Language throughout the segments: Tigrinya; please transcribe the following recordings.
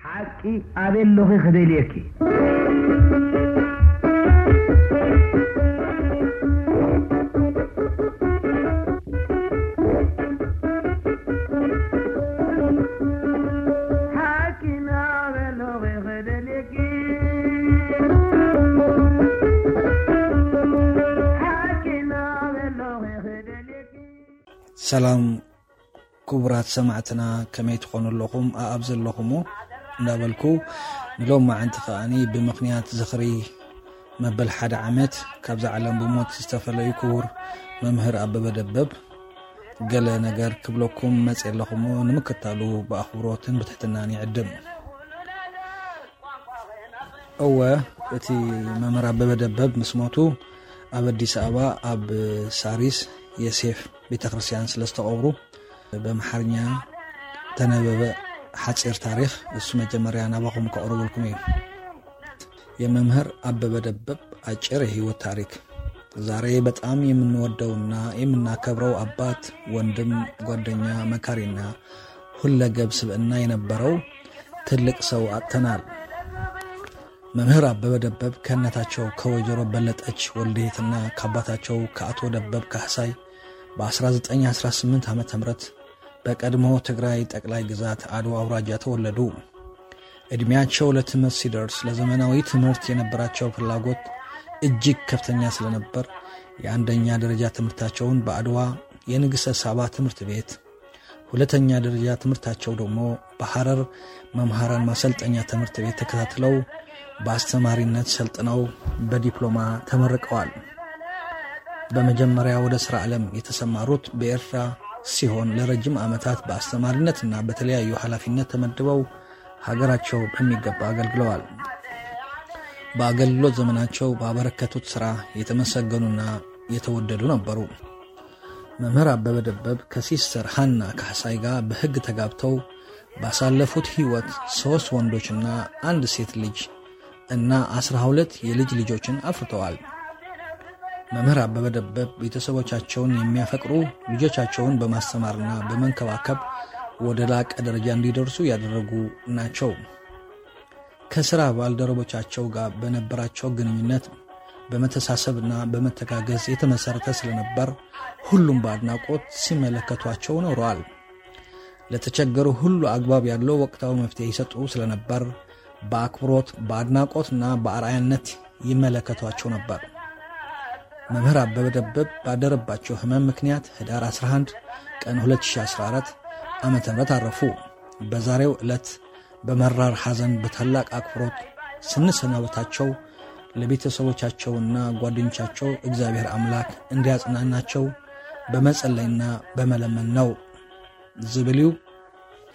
ሓቂ ኣበይ ኣለኺ ክደልየኪ? ሓቂ ኣበይ ኣለኺ ክደልየኪ? ሓቂ ኣበይ ኣለኺ ክደልየኪ? ሰላም ክቡራት ሰማዕትና፣ ከመይ ትኾኑ ኣለኹም? ኣኣብ ዘለኹሞ እንዳበልኩ፣ ንሎማዓንቲ ከኣኒ ብምኽንያት ዝኽሪ መበል ሓደ ዓመት ካብዛ ዓለም ብሞት ዝተፈለዩ ክቡር መምህር ኣበበ ደበብ ገለ ነገር ክብለኩም መጽየ ኣለኹሞ፣ ንምክታሉ ብኣኽብሮትን ብትሕትናን ይዕድም። እወ፣ እቲ መምህር ኣበበ ደበብ ምስ ሞቱ ኣብ ኣዲስ ኣበባ ኣብ ሳሪስ የሴፍ ቤተክርስትያን ስለ ዝተቐብሩ፣ በምሓርኛ ተነበበ ሓጺር ታሪኽ እሱ መጀመርያ ናባኹም ከቕርበልኩም እዩ። የመምህር ኣበበ ደበብ አጭር የህይወት ታሪክ። ዛሬ በጣም የምንወደውና የምናከብረው አባት፣ ወንድም፣ ጓደኛ፣ መካሪና ሁለገብ ስብዕና የነበረው ትልቅ ሰው አጥተናል። መምህር አበበ ደበብ ከእናታቸው ከወይዘሮ በለጠች ወልድየትና ከአባታቸው ከአቶ ደበብ ካህሳይ በ1918 ዓመተ ምህረት በቀድሞ ትግራይ ጠቅላይ ግዛት አድዋ አውራጃ ተወለዱ። እድሜያቸው ለትምህርት ሲደርስ ለዘመናዊ ትምህርት የነበራቸው ፍላጎት እጅግ ከፍተኛ ስለነበር የአንደኛ ደረጃ ትምህርታቸውን በአድዋ የንግሥተ ሳባ ትምህርት ቤት፣ ሁለተኛ ደረጃ ትምህርታቸው ደግሞ በሐረር መምህራን ማሰልጠኛ ትምህርት ቤት ተከታትለው በአስተማሪነት ሰልጥነው በዲፕሎማ ተመርቀዋል። በመጀመሪያ ወደ ስራ ዓለም የተሰማሩት በኤርትራ ሲሆን ለረጅም ዓመታት በአስተማሪነትና በተለያዩ ኃላፊነት ተመድበው ሀገራቸው በሚገባ አገልግለዋል። በአገልግሎት ዘመናቸው ባበረከቱት ስራ የተመሰገኑና የተወደዱ ነበሩ። መምህር አበበ ደበብ ከሲስተር ሃና ካሕሳይ ጋር በሕግ ተጋብተው ባሳለፉት ሕይወት ሦስት ወንዶችና አንድ ሴት ልጅ እና አስራ ሁለት የልጅ ልጆችን አፍርተዋል። መምህር አበበ ደበብ ቤተሰቦቻቸውን የሚያፈቅሩ፣ ልጆቻቸውን በማስተማርና በመንከባከብ ወደ ላቀ ደረጃ እንዲደርሱ ያደረጉ ናቸው። ከስራ ባልደረቦቻቸው ጋር በነበራቸው ግንኙነት በመተሳሰብና በመተጋገዝ የተመሰረተ ስለነበር ሁሉም በአድናቆት ሲመለከቷቸው ኖረዋል። ለተቸገሩ ሁሉ አግባብ ያለው ወቅታዊ መፍትሄ ይሰጡ ስለነበር በአክብሮት፣ በአድናቆትና በአርአያነት ይመለከቷቸው ነበር። መምህር አበበ ደበብ ባደረባቸው ህመም ምክንያት ህዳር አስራ አንድ ቀን ሁለት ሺህ አስራ አራት ዓመተ ምህረት አረፉ። በዛሬው ዕለት በመራር ሐዘን በታላቅ አክብሮት ስንሰናበታቸው ለቤተሰቦቻቸውና ጓደኞቻቸው እግዚአብሔር አምላክ እንዲያጽናናቸው በመጸለይና በመለመን ነው ዝብል እዩ።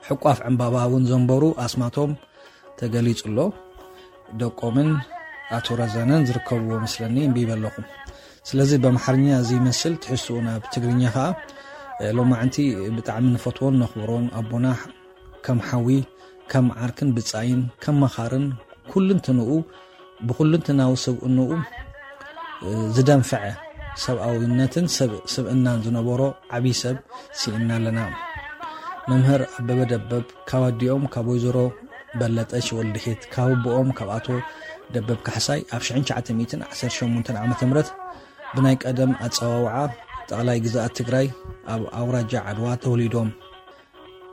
ሕቋፍ ዕምባባ እውን ዘንበሩ ኣስማቶም ተገሊጹ ኣሎ። ደቆምን ኣቶ ረዘነን ዝርከብዎ መስለኒ፣ እምቢ ይበለኹም። ስለዚ በምሓርኛ እዚ ይመስል፣ ትሕዝትኡ ናብ ትግርኛ ኸኣ፣ እ፣ ሎማዕንቲ ብጣዕሚ ንፈትዎን ነኽብሮን ኣቦና ከም ሓዊ፣ ከም ዓርክን ብጻይን፣ ከም መኻርን ኩልንትንኡ፣ ብኩልንትናዊ ስብእንኡ፣ እ፣ ዝደንፈዐ ሰብኣዊነትን ሰብ-፣ ስብእናን ዝነበሮ ዓብዪ ሰብ ስኢንና ኣለና። መምህር ኣበበ ደበብ ካብ ኣዲኦም ካብ ወይዘሮ በለጠች ወልድሄት፣ ካብ ኣቦኦም ካብ ኣቶ ደበብ ካሕሳይ ኣብ ሽሕን ትሽዓተ ሚእትን ዓሰርተ ሸሞንተን ዓመተ ምህረት ብናይ ቀደም ኣጸዋውዓ ጠቕላይ ግዝኣት ትግራይ ኣብ ኣውራጃ ዓድዋ ተወሊዶም።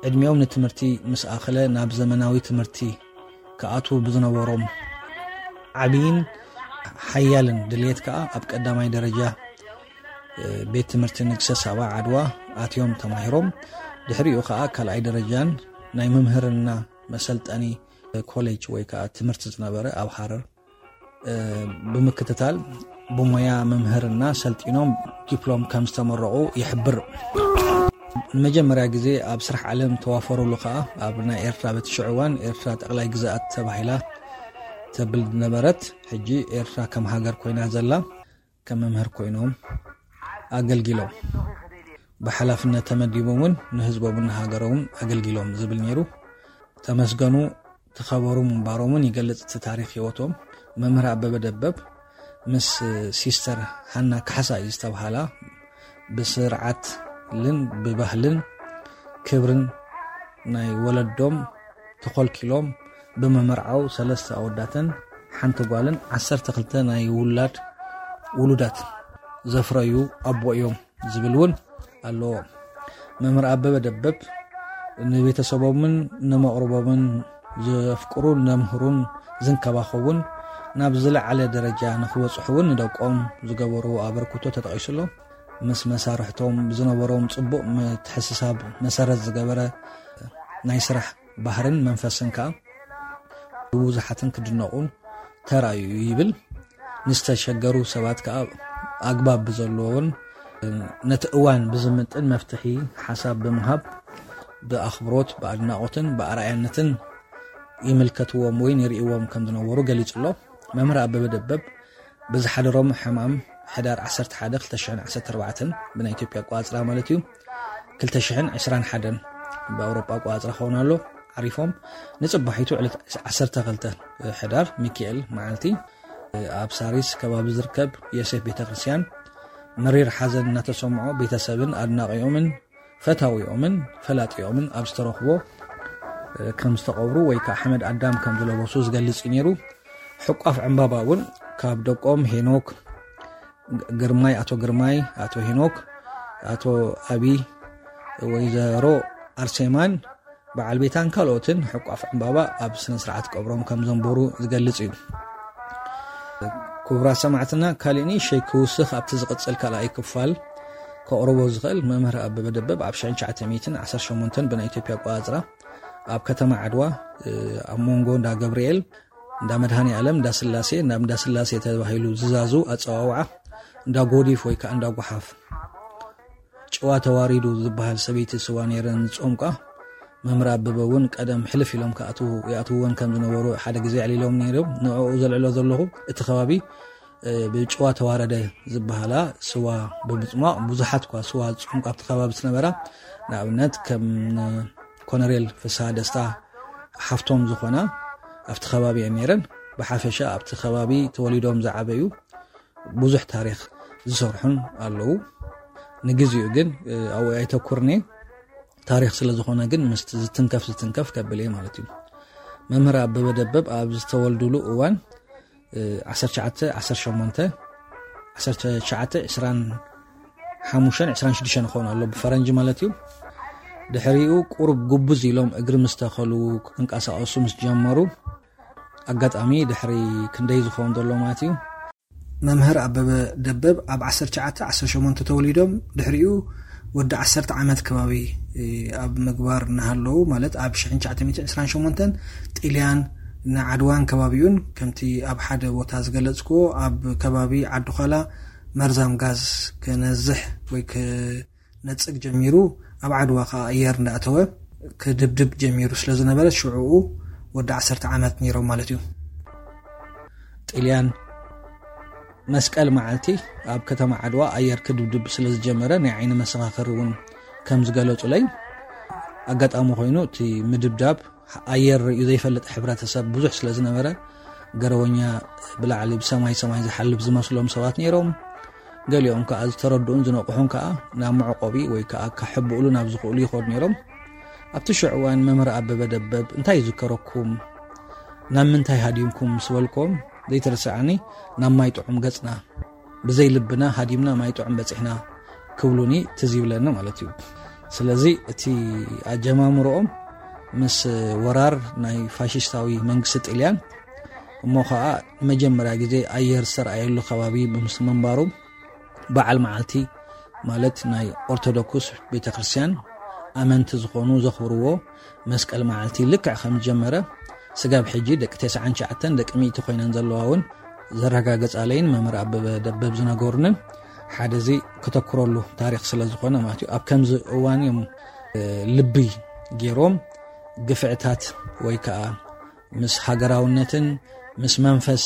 ዕድሚኦም ንትምህርቲ ምስ ኣኸለ ናብ ዘመናዊ ትምህርቲ ክኣትዉ ብዝነበሮም ዓብይን ሓያልን ድልየት ከኣ ኣብ ቀዳማይ ደረጃ፣ እ፣ ቤት ትምህርቲ ንግሰ ሳባ ዓድዋ ኣትዮም ተማሂሮም። ድሕሪኡ ከኣ ካልኣይ ደረጃን ናይ መምህርና መሰልጠኒ ኮሌጅ ወይ ከኣ ትምህርቲ ዝነበረ ኣብ ሃረር እ፣ ብምክትታል ብሞያ መምህርና ሰልጢኖም ዲፕሎም ከም ዝተመረቑ ይሕብር። ንመጀመርያ ግዜ ኣብ ስራሕ ዓለም ተዋፈሩሉ ከኣ ኣብ ናይ ኤርትራ፣ በቲ ሽዑ እዋን ኤርትራ ጠቕላይ ግዝኣት ተባሂላ ተብል ዝነበረት፣ ሕጂ ኤርትራ ከም ሃገር ኮይና ዘላ፣ ከም መምህር ኮይኖም ኣገልጊሎም። ብሓላፍነት ተመዲቦም እውን ንህዝቦምን ንሃገሮምን ኣገልጊሎም ዝብል ነይሩ። ተመስገኑ፣ ተኸበሩ ምንባሮምን ይገልጽ እቲ ታሪኽ ህይወቶም። መምህር ኣበበ ደበብ ምስ ሲስተር ሃና ካሕሳይ ዝተብሃላ ብስርዓትን ብባህልን ክብርን ናይ ወለዶም ተኾልኪሎም ብምምርዓው ሰለስተ ኣወዳትን ሓንቲ ጓልን ዓሰርተ ክልተ ናይ ውላድ ውሉዳት ዘፍረዩ ኣቦ እዮም ዝብል እውን ኣለዎ። መምህር ኣበበ ደበብ ንቤተሰቦምን ንመቕርቦምን ዘፍቅሩን ዘምህሩን ዝንከባኸቡን ናብ ዝለዓለ ደረጃ ንክበፅሑ እውን ንደቆም ዝገበርዎ ኣበርክቶ ተጠቒሱ ኣሎ። ምስ መሳርሕቶም ዝነበሮም ፅቡቕ ምትሕስሳብ መሰረት ዝገበረ ናይ ስራሕ ባህርን መንፈስን ከዓ ብብዙሓትን ክድነቑ ተራእዩ ይብል። ንዝተሸገሩ ሰባት ከዓ ኣግባብ ብዘለዎን ነቲ እዋን ብዝምጥን መፍትሒ ሓሳብ ብምሃብ ብኣኽብሮት ብኣድናቖትን ብኣርኣያነትን ይምልከትዎም ወይ ይርእይዎም ከም ዝነበሩ ገሊጹ ኣሎ። መምህር ኣበበ ደበብ ብዝሓደሮም ሕማም ሕዳር ዓሰርተ ሓደ ክልተ ሽሕን ዓሰርተ ኣርባዕተን ብናይ ኢትዮጵያ ኣቋጽራ ማለት እዩ፣ ክልተ ሽሕን ዕስራን ሓደን ብኣውሮጳ ኣቋጽራ ክኸውን ኣሎ ዓሪፎም። ንጽባሒቱ ዕለት ዓሰርተ ክልተ ሕዳር ሚካኤል መዓልቲ ኣብ ሳሪስ ከባቢ ዝርከብ ዮሴፍ ቤተክርስትያን መሪር ሓዘን እናተሰምዖ ቤተሰብን ኣድናቂኦምን ፈታዊኦምን ፈላጢኦምን ኣብ ዝተረኽቦ ከም ዝተቐብሩ ወይ ከዓ ሓመድ ኣዳም ከም ዝለበሱ ዝገልጽ እዩ ነይሩ። ሕቋፍ ዕምባባ እውን ካብ ደቆም ሄኖክ ግርማይ፣ ኣቶ ግርማይ፣ ኣቶ ሄኖክ፣ ኣቶ ኣቢ፣ ወይዘሮ ኣርሴማን በዓል ቤታን ካልኦትን ሕቋፍ ዕምባባ ኣብ ስነ ስርዓት ቀብሮም ከም ዘንበሩ ዝገልጽ እዩ። ክቡራት ሰማዕትና፣ ካሊእ ንእሽተይ ክውስኽ ኣብቲ ዝቕጽል ካልኣይ ክፋል ከቕርቦ ዝኽእል፣ መምህር ኣበበ ደበብ ኣብ ሽሕን ትሽዓተ ሚእትን ዓሰርተ ሸሞንተን ብናይ ኢትዮጵያ ኣቆጻጽራ ኣብ ከተማ ዓድዋ ኣብ መንጎ እንዳ ገብርኤል፣ እንዳ መድሃኔ ዓለም፣ እንዳ ስላሴ፣ እንዳ እንዳ ስላሴ ተባሂሉ ዝዛዙ ኣጸዋውዓ፣ እንዳ ጎዲፍ ወይ ከዓ እንዳ ጓሓፍ ጭዋ ተዋሪዱ ዝበሃል ሰበይቲ ስዋ ነይረን ዝጾምቃ። መምህር ኣበበ እውን ቀደም ሕልፍ ኢሎም ክኣትዉ ይኣትውወን ከም ዝነበሩ ሓደ ግዜ ኣዕሊሎም ነይሮም። ንዕኡ ዘልዕሎ ዘለኹ እቲ ከባቢ ብጭዋ ተዋረደ ዝበሃላ ስዋ ብምጽሟቕ ብዙሓት እኳ ስዋ ዝጾምቃ ኣብቲ ከባቢ ዝነበራ፣ ንኣብነት ከም ኮነሬል ፍስሃ ደስታ ሓፍቶም ዝኾና ኣብቲ ከባቢ እየን ነይረን። ብሓፈሻ ኣብቲ ከባቢ ተወሊዶም ዝዓበዩ ብዙሕ ታሪኽ ዝሰርሑን ኣለዉ። ንግዚኡ ግን ኣብኡ ኣይተኩርኒ። ታሪኽ ስለ ዝኾነ ግን ምስቲ ዝትንከፍ ዝትንከፍ ከብል እየ ማለት እዩ። መምህር ኣበበ ደበብ ኣብ ዝተወልዱሉ እዋን ዓሰርተ ትሽዓተ ዓሰርተ ሸሞንተ ዓሰርተ ትሽዓተ ዕስራን ሓሙሽተን ዕስራን ሽዱሽተን ይኾኑ ኣሎ ብፈረንጂ ማለት እዩ። ድሕሪኡ ቁሩብ ጉብዝ ኢሎም እግሪ ምስ ተኸሉ ክንቀሳቐሱ ምስ ጀመሩ ኣጋጣሚ ድሕሪ ክንደይ ዝኸውን ዘሎ ማለት እዩ። መምህር ኣበበ ደበብ ኣብ ዓሰርተ ትሽዓተ ዓሰርተ ሸሞንተ ተወሊዶም ድሕሪኡ ወዲ ዓሰርተ ዓመት ከባቢ ኣብ ምግባር እናሃለዉ ማለት ኣብ ሽሕን ትሽዓተ ሚእትን ዕስራን ሸሞንተን ጢልያን ንዓድዋን ከባቢኡን ከምቲ ኣብ ሓደ ቦታ ዝገለጽክዎ ኣብ ከባቢ ዓድዃላ መርዛም ጋዝ ክነዝሕ ወይ ክነጽግ ጀሚሩ ኣብ ዓድዋ ከዓ ኣየር እንዳእተወ ክድብድብ ጀሚሩ ስለ ዝነበረ ሽዕኡ ወዲ ዓሰርተ ዓመት ነይሮም ማለት እዩ። ጥልያን መስቀል መዓልቲ ኣብ ከተማ ዓድዋ ኣየር ክድብድብ ስለ ዝጀመረ ናይ ዓይኒ መሰኻኽር እውን ከም ዝገለጹለይ ኣጋጣሚ ኮይኑ እቲ ምድብዳብ ኣየር ርእዩ ዘይፈልጥ ሕብረተሰብ ብዙሕ ስለ ዝነበረ ገረወኛ ብላዕሊ ብሰማይ ሰማይ ዝሓልፍ ዝመስሎም ሰባት ነይሮም። ገሊኦም ከዓ ዝተረድኡን ዝነቕሑን ከዓ ናብ መዕቆቢ ወይ ከዓ ከሕብእሉ ናብ ዝኽእሉ ይኸዱ ነይሮም። ኣብቲ ሽዑ እዋን መምህር ኣበበ ደበብ እንታይ ይዝከረኩም ናብ ምንታይ ሃዲምኩም ምስ በልኩም ዘይትርስዓኒ ናብ ማይ ጥዑም ገጽና ብዘይ ልብና ሃዲምና ማይ ጥዑም በጺሕና ክብሉኒ ትዝ ይብለኒ ማለት እዩ። ስለዚ እቲ ኣጀማምርኦም ምስ ወራር ናይ ፋሽስታዊ መንግስቲ ጥልያን እሞ ከዓ መጀመርያ ግዜ ኣየር ዝተረኣየሉ ከባቢ ምስ ምንባሩ በዓል መዓልቲ ማለት ናይ ኦርቶዶክስ ቤተክርስትያን ኣመንቲ ዝኾኑ ዘኽብርዎ መስቀል መዓልቲ ልክዕ ከም ዝጀመረ ስጋብ ሕጂ ደቂ ተስዓን ትሽዓተን ደቂ ሚእቲ ኮይነን ዘለዋ እውን ዘረጋገጻለይን መምህር ኣበበ ደበብ ዝነገሩንን ሓደ እዚ ክተኩረሉ ታሪኽ ስለ ዝኾነ ማለት እዩ። ኣብ ከምዚ እዋን እዮም ልቢ ገይሮም ግፍዕታት ወይ ከዓ ምስ ሃገራውነትን ምስ መንፈስ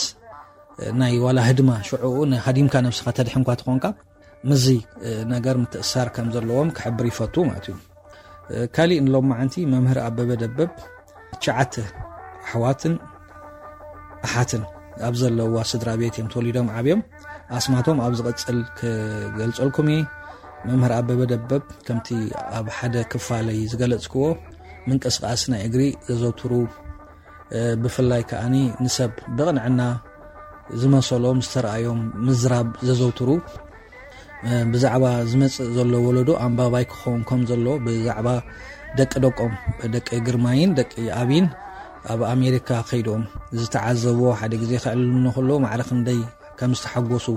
ናይ ዋላ ህድማ ሽዕኡ ሃዲምካ ነብስኻ ተድሕንኳ ትኾንካ ምዚ ነገር ምትእሳር ከም ዘለዎም ክሕብር ይፈቱ ማለት እዩ። ካሊእ ንሎም መዓንቲ መምህር ኣበበ ደበብ ትሽዓተ ኣሕዋትን ኣሓትን ኣብ ዘለዋ ስድራ ቤት እዮም ተወሊዶም ዓብዮም። ኣስማቶም ኣብ ዝቐጽል ክገልጸልኩም እየ። መምህር ኣበበ ደበብ ከምቲ ኣብ ሓደ ክፋለይ ዝገለጽክዎ ምንቅስቃስ ናይ እግሪ ዘዘውትሩ፣ ብፍላይ ከኣኒ ንሰብ ብቕንዕና ዝመሰሎም ዝተረኣዮም ምዝራብ ዘዘውትሩ፣ ብዛዕባ ዝመጽእ ዘሎ ወለዶ ኣንባባይ ክኸውን ከም ዘሎ፣ ብዛዕባ ደቂ ደቆም፣ ደቂ ግርማይን ደቂ ኣብይን ኣብ ኣሜሪካ ከይዶም ዝተዓዘብዎ፣ ሓደ ግዜ ከዕልሉኒ ከለዉ ማዕረ ክንደይ ከም ዝተሓጎሱ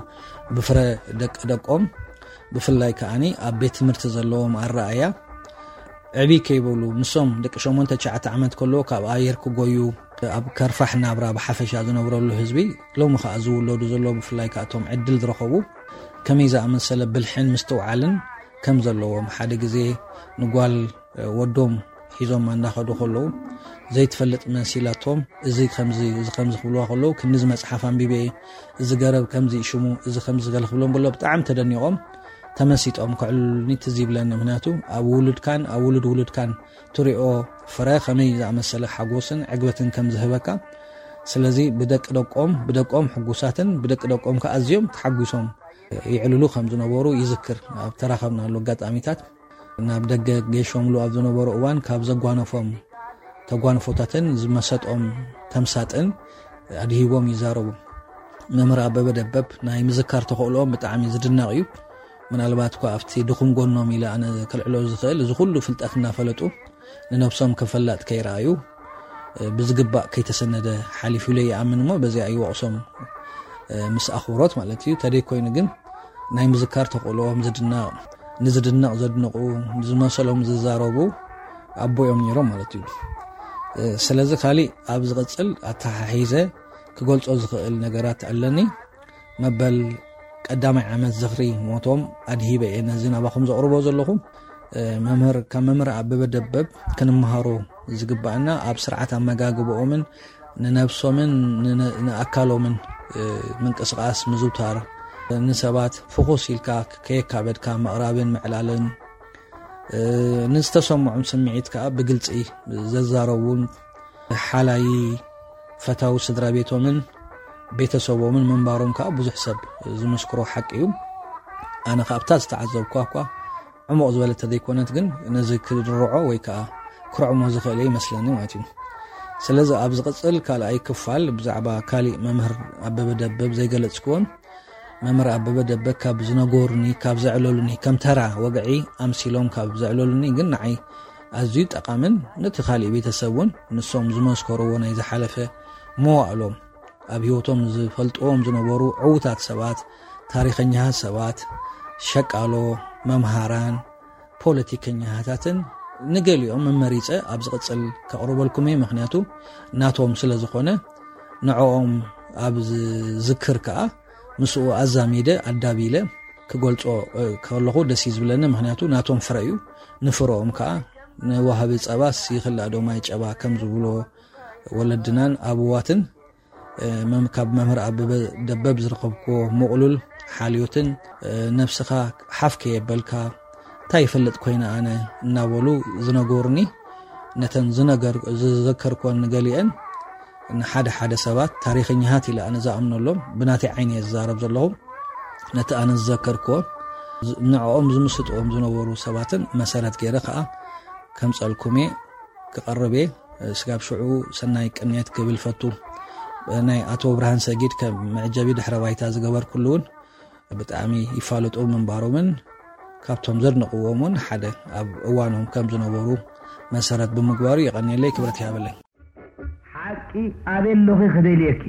ብፍረ ደቂ ደቆም፣ ብፍላይ ከኣኒ ኣብ ቤት ትምህርቲ ዘለዎም ኣረኣያ ዕብይ ከይበሉ፣ ንሶም ደቂ ሸሞንተ ትሽዓተ ዓመት ከለዉ ካብ ኣየር ክጎዩ፣ ኣብ ከርፋሕ ናብራ ብሓፈሻ ዝነብረሉ ህዝቢ፣ ሎሚ ከኣ ዝውለዱ ዘለዉ፣ ብፍላይ ከኣ እቶም ዕድል ዝረኸቡ፣ ከመይ ዝኣመሰለ ብልሕን ምስትውዓልን ከም ዘለዎም፣ ሓደ ግዜ ንጓል ወዶም ሒዞም እናኸዱ ከለዉ፣ ዘይትፈልጥ መሲላቶም፣ እዚ ከምዚ፣ እዚ ከምዚ ክብልዋ ከለዉ፣ ክንዲ እዚ መጽሓፍ ኣንቢበ እየ፣ እዚ ገረብ ከምዚ እዩ ሽሙ፣ እዚ ከምዚ ገለ ክብሎም ከሎ ብጣዕሚ ተደኒቖም፣ ተመሲጦም ከዕልሉኒ ትዝ ይብለኒ። ምኽንያቱ ኣብ ውሉድካን ኣብ ውሉድ ውሉድካን ትሪኦ ፍረ ከመይ ዝኣመሰለ ሓጎስን ዕግበትን ከም ዝህበካ። ስለዚ ብደቂ ደቆም፣ ብደቆም ሕጉሳትን ብደቂ ደቆም ከኣ ኣዝዮም ተሓጒሶም ይዕልሉ ከም ዝነበሩ ይዝክር። ኣብ ተራኸብናሉ ኣጋጣሚታት ናብ ደገ ገሾምሉ ኣብ ዝነበሩ እዋን ካብ ዘጓነፎም ተጓንፎታትን ዝመሰጦም ተምሳጥን ኣድሂቦም ይዛረቡ። መምህር ኣበበ ደበብ ናይ ምዝካር ተኽእሎኦም ብጣዕሚ ዝድነቕ እዩ። ምናልባት እኳ ኣብቲ ድኹም ጎኖም ኢለ ኣነ ከልዕሎ ዝኽእል፣ እዚ ኩሉ ፍልጠት እናፈለጡ ንነብሶም ከም ፈላጥ ከይረኣዩ፣ ብዝግባእ ከይተሰነደ ሓሊፉ ኢለ ይኣምን እሞ በዚኣ ይወቕሶም፣ ምስ ኣኽብሮት ማለት እዩ። ተደይ ኮይኑ ግን ናይ ምዝካር ተኽእሎኦም ዝድነቕ፣ ንዝድነቕ ዘድንቑ፣ ንዝመሰሎም ዝዛረቡ ኣቦ እዮም ነይሮም ማለት እዩ። ስለዚ ካሊእ ኣብ ዝቕጽል ኣተሓሒዘ ክገልጾ ዝኽእል ነገራት ኣለኒ። መበል ቀዳማይ ዓመት ዝኽሪ ሞቶም ኣድሂበ እየ ነዚ ናባኹም ዘቕርቦ ዘለኹ። መምህር፣ ካብ መምህር ኣበበ ደበብ ክንመሃሮ ዝግባኣና ኣብ ስርዓት ኣመጋግባኦምን ንነብሶምን ንነ-፣ ንኣካሎምን፣ እ፣ ምንቅስቃስ ምዝውታር፣ ንሰባት ፍኹስ ኢልካ ከየካበድካ ምቕራብን ምዕላልን፣ እ፣ ንዝተሰምዖም ስምዒት ከኣ ብግልጺ ዘዛረቡን ሓላይ ፈታዊ ስድራ ቤቶምን ቤተሰቦምን ምንባሮም ከኣ ብዙሕ ሰብ ዝምስክሮ ሓቂ እዩ። ኣነ ከኣ ኣብታ ዝተዓዘብኳ እኳ ዕሙቕ ዝበለት ተዘይኮነት፣ ግን ነዚ ክድርዖ ወይ ከኣ ክርዕሞ ዝኽእል እየ ይመስለኒ ማለት እዩ። ስለዚ ኣብ ዝቕጽል ካልኣይ ክፋል ብዛዕባ ካሊእ መምህር ኣበበ ደበብ ዘይገለጽክዎን፣ መምህር ኣበበ ደበብ ካብ ዝነገሩኒ፣ ካብ ዘዕለሉኒ፣ ከም ተራ ወግዒ ኣምሲሎም ካብ ዘዕለሉኒ፣ ግን ንዓይ ኣዝዩ ጠቓምን ነቲ ካሊእ ቤተሰብ እውን ንሶም ዝመስከርዎ ናይ ዝሓለፈ መዋእሎም ኣብ ህይወቶም ዝፈልጥዎም ዝነበሩ ዕዉታት ሰባት፣ ታሪኸኛታት ሰባት፣ ሸቃሎ፣ መምሃራን፣ ፖለቲከኛታትን ንገሊኦም መመሪጸ ኣብ ዝቕጽል ከቕርበልኩም እየ። ምኽንያቱ ናቶም ስለ ዝኾነ ንዕኦም ኣብ ዝዝክር ከኣ ምስኡ ኣዛሚደ ኣዳቢለ ክገልጾ፣ እ፣ ከለኹ ደስ እዩ ዝብለኒ። ምኽንያቱ ናቶም ፍረ እዩ። ንፍረኦም ከኣ ንዋሃቢ ጸባስ ይኽላእ ዶ ማይ ጨባ ከም ዝብሎ ወለድናን ኣበዋትን፣ እ፣ መም-፣ ካብ መምህር ኣበበ ደበብ ዝረኸብክዎ ምቕሉል ሓልዮትን፣ እ፣ ነብስኻ ሓፍ ከየበልካ፣ እንታይ ይፈልጥ ኮይነ ኣነ እናበሉ ዝነገሩኒ፣ ነተን ዝነገር-፣ ዝዘከርክወን ንገሊአን ንሓደ ሓደ ሰባት ታሪኸኛታት ኢለ ኣነ ዝኣምነሎም፣ ብናተይ ዓይኒ እየ ዝዛረብ ዘለኹ። ነቲ ኣነ ዝዘከርክዎ፣ ዝ-፣ ንዕኦም ዝምስጥዎም ዝነበሩ ሰባትን መሰረት ገይረ ከኣ ከምጸልኩም እየ፣ ክቐርብ እየ። ስጋብ ሽዑ ሰናይ ቅንየት ክብል ፈቱ። ናይ ኣቶ ብርሃን ሰጊድ ከም መዕጀቢ ድሕረ ባይታ ዝገበርኩሉ እውን ብጣዕሚ ይፋለጡ ምንባሮምን ካብቶም ዘድንቕዎም እውን ሓደ ኣብ እዋኖም ከም ዝነበሩ መሰረት ብምግባሩ የቐንየለይ፣ ክብረት ይሃበለይ። ሓቂ ኣበይ ኣለኺ ክደልየኪ?